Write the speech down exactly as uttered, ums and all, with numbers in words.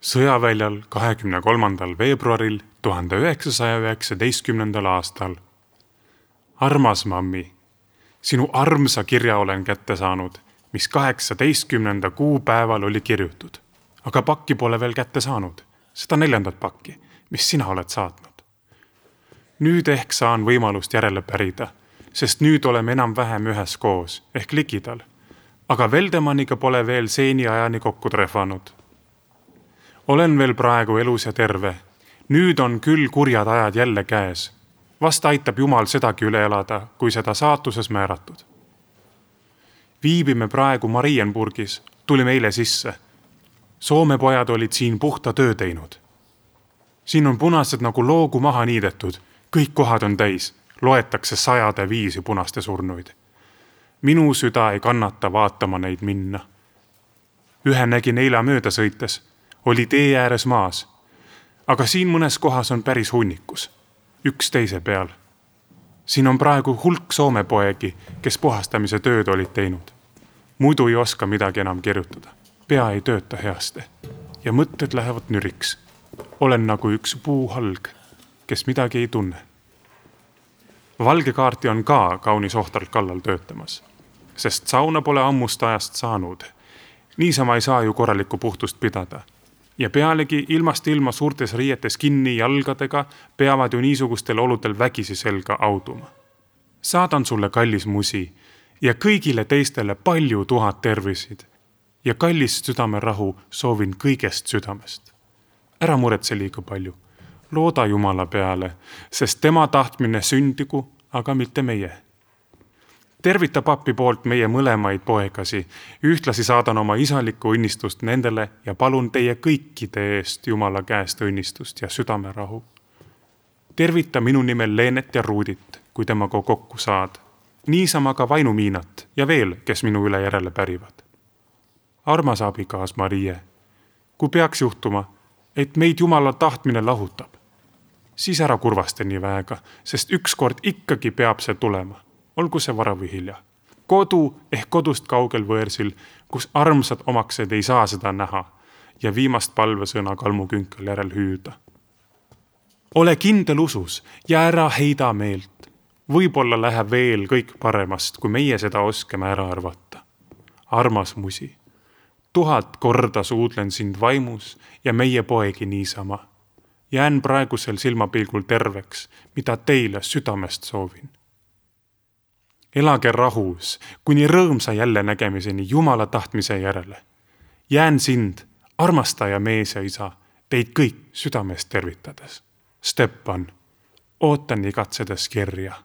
Sõjaväljal kahekümne kolmandal veebruaril tuhande üheksasaja üheksateistkümnendal aastal. Armas mammi, sinu armsa kirja olen kätte saanud, mis kaheksateistkümnenda kuupäeval oli kirjutud. Aga pakki pole veel kätte saanud, seda neljandat pakki, mis sina oled saatnud. Nüüd ehk saan võimalust järele pärida, sest nüüd oleme enam-vähem ühes koos, ehk likidal. Aga Veldemaniga pole veel seeni ajani kokku trehvanud. Olen veel praegu elus ja terve. Nüüd on küll kurjad ajad jälle käes. Vast aitab Jumal sedagi üle elada, kui seda saatuses määratud. Viibime praegu Marienburgis, tulime eile sisse. Soome pojad olid siin puhta töö teinud. Siin on punased nagu loogu maha niidetud. Kõik kohad on täis. Loetakse sajade viisi punaste surnuid. Minu süda ei kannata vaatama neid minna. Ühe nägin eila mööda sõites. Oli tee ääres maas. Aga siin mõnes kohas on päris hunnikus. Üks teise peal. Siin on praegu hulk Soome poegi, kes puhastamise tööd olid teinud. Muidu ei oska midagi enam kirjutada. Pea ei tööta heaste. Ja mõtted lähevad nüriks. Olen nagu üks puuhalg, kes midagi ei tunne. Valge kaarti on ka kaunis ohtralt kallal töötamas, sest sauna pole ammust ajast saanud. Niisama ei saa ju korralikku puhtust pidada. Ja pealegi ilmast ilma suurtes riietes kinni jalgadega peavad ju niisugustel oludel vägisi selga auduma. Saadan sulle kallis musi ja kõigile teistele palju tuhat tervisid ja kallist südamerahu soovin kõigest südamest. Ära muretse liiga palju. Looda Jumala peale, sest tema tahtmine sündigu, aga mitte meie. Tervita papi poolt meie mõlemaid poegasi, ühtlasi saadan oma isalikku õnnistust nendele ja palun teie kõikide eest Jumala käest õnnistust ja südamerahu. Tervita minu nimel Leenet ja Ruudit, kui temaga kokku saad. Niisama ka Vainumiinat ja veel, kes minu üle järele pärivad. Armas abikaas Marie, kui peaks juhtuma, et meid Jumala tahtmine lahutab, siis ära kurvaste nii väega, sest ükskord ikkagi peab see tulema. Olgu see vara või hilja. Kodu ehk kodust kaugel võõrsil, kus armsad omaksed ei saa seda näha ja viimast palvesõna kalmukünkel järel hüüda. Ole kindel usus ja ära heida meelt. Võib-olla läheb veel kõik paremast, kui meie seda oskame ära arvata. Armas musi, tuhat korda suudlen sind vaimus ja meie poegi niisama. Jään praegusel silmapilgul terveks, mida teile südamest soovin. Elage rahus, kuni rõõmsa jälle nägemiseni Jumala tahtmise järele. Jään sind, armastaja mees ja isa, teid kõik südamest tervitades. Stepan, ootan igatsedes kirja.